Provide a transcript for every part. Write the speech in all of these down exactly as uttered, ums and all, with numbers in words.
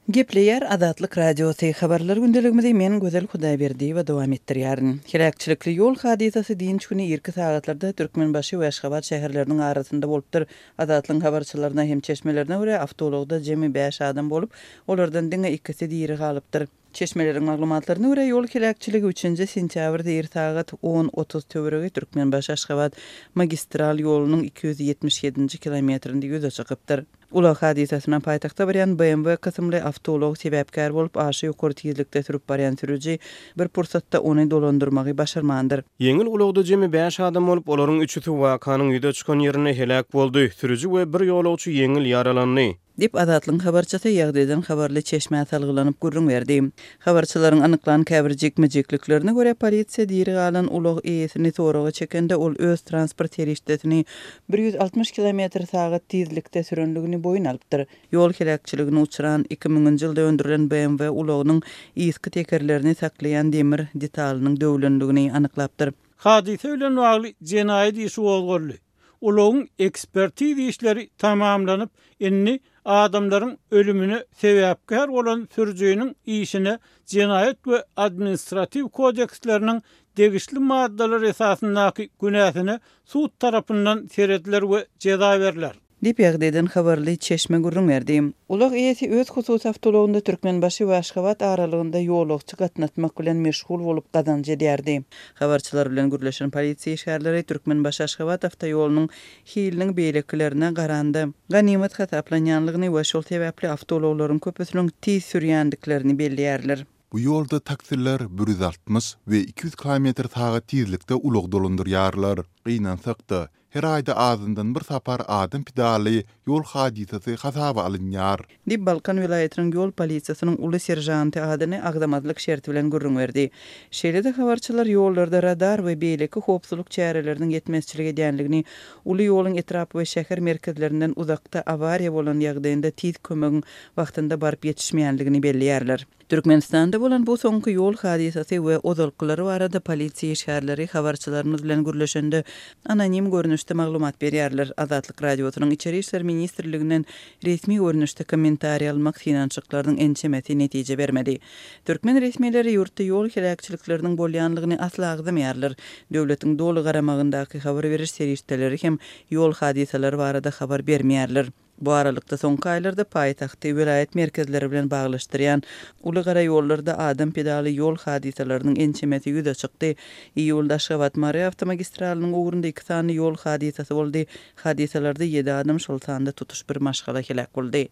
Gepleýär Azatlyk Radiosy, Habarlar gündeligimizi men Gözel Hudaýberdiýewa dowam etdirýärin. Heläkçilikli ýol hadysasy dynç güni irki sagatlarda Türkmenbaşy we Aşgabat şäherleriniň arasynda bolupdyr. Azatlygyň habarçylaryna hem çeşmelerine görä, awtoulagda jemi bäş adam bolup, olardan diňe ikisi diri galypdyr. Çeşmeleriň maglumatlaryna görä, ýol heläkçiligi üçünji sentýabrda ir sagat on otuz töweregi Türkmenbaşy-Aşgabat magistral ýolunyň iki ýüz ýetmiş ýedinji kilometrinde ýüze çykypdyr. Ulag hadysasyna paýtagta barýan B M W kysymly awtoulag sebäpkär bolup, aşa ýokary tizlikde sürüp barýan sürüji bir pursatda ony dolandyrmagy başarmandyr. Ýeňil ulagda jemi bäş adam bolup, olaryň üçüsi wakanyň ýüze çykan ýerinde heläk boldy, sürüji we bir ýolagçy ýeňil ýaralandy. Diýip, Azatlygyň habarçysy ýagdaýdan habarly çeşmä salgylanyp gürrüň berdi. Habarçylaryň anyklan käbir jikme-jikliklerine görä, polisiýa diri galan ulag eýesini soraga çekende, ol öz transport serişdesini bir ýüz altmyş kilometr sagat tizlikde sürenligini boýun alypdyr. Ýol heläkçiligine uçran iki müňünji ýylda öndürilen B M W ulagynyň yzky tekerlerini saklaýan demir detalynyň döwlenligini anyklapdyr. Hadysa bilen bagly jenaýat işi gozgaldy. Ulagyň ekspertiz işleri tamamlanyp, indi adamlaryň ölümine sebäpkär bolan sürüjiniň işine jenaýat we administratiw kodeksleriniň degişli maddalary esasyndaky günäsine sud tarapyndan serediler we jeza berler. Diýip, ýagdaýdan habarly çeşme gürrüň berdi. Ulag eýesi öz hususy awtoulagynda Türkmenbaşy we Aşgabat aralygynda ýolagçy gatnatmak bilen meşgul bolup gazanç edýärdi. Habarçylar bilen gürleşen polisiýa işgärleri Türkmenbaşy-Aşgabat awtoýolunyň hiliniň beýlekilerine garanda ganymat hasaplanýanlygyny we şol sebäpli awtoulaglaryň köpüsiniň tiz sürýändiklerini belleýärler. Bu ýolda taksiler bir ýüz altmyş we iki ýüz kilometr sagat tizlikde ulag dolandyrýarlar. Gynansak-da, her aýda azyndan bir sapar adam pidaly ýol hadysasy hasaba alynýar. Diýip, Balkan welaýatynyň ýol polisiýasynyň uly seržanty adyny agzamazlyk şerti bilen gürrüň berdi. Şeýle-de habarçylar ýollarda radar we beýleki howpsuzlyk çäreleriniň ýetmezçilik edýänligini, uly ýoluň etrap we şäher merkezlerinden uzakda awariýa bolan ýagdaýynda tiz kömegiň wagtynda baryp ýetişmeýänligini belleýärler. Türkmenistanda bolan bu soňky ýol hadysasy we ozalkylary barada polisiýa işgärleri habarçylarymyz bilen gürleşende anonim görnüşde maglumat berýärler. Azatlyk Radiosynyň Içeri İşler Ministrliginden resmi görnüşde kommentariý almak synanyşyklarynyň ençemesi netije bermedi. Türkmen resmileri ýurtda ýol heläkçilikleriniň bolýanlygyny asla agzamaýarlar. Döwletiň doly garamagyndaky habar beriş serişdeleri hem ýol hadysalary barada habar bermeýärler. Bu aralykda soňky aýlarda paýtagty welaýat merkezleri bilen baglaşdyrýan uly gara ýollarda adam pedaly ýol hadysalarynyň ençemesi ýüze çykdy. Iýulda Aşgabat-Mary awtomagistralynyň ugrunda iki sany ýol hadysasy boldy. Hadysalarda ýedi adam, şol sanda tutuş bir maşgala heläk boldy.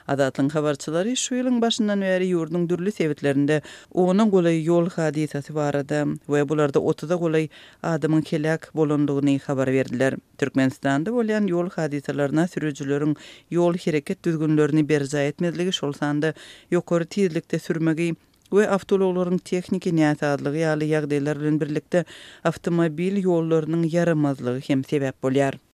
Azatlygyň habarçylary şu ýylyň başyndan bäri ýurduň dürli sebitlerinde ona golaý ýol hadysasy barada we bularda otuza golaý adamyň heläk bolandygyny habar berdiler. Türkmenistanda bolýan ýol hadysalaryna sürüjileriň ýol hereket düzgünlerini berjaý etmezligi, şol sanda ýokary tizlikde sürmegi we awtoulaglaryň tehniki näsazlygy ýaly ýagdaýlar bilen birlikde awtomobil ýollarynyň ýaramazlygy hem sebäp bolýar.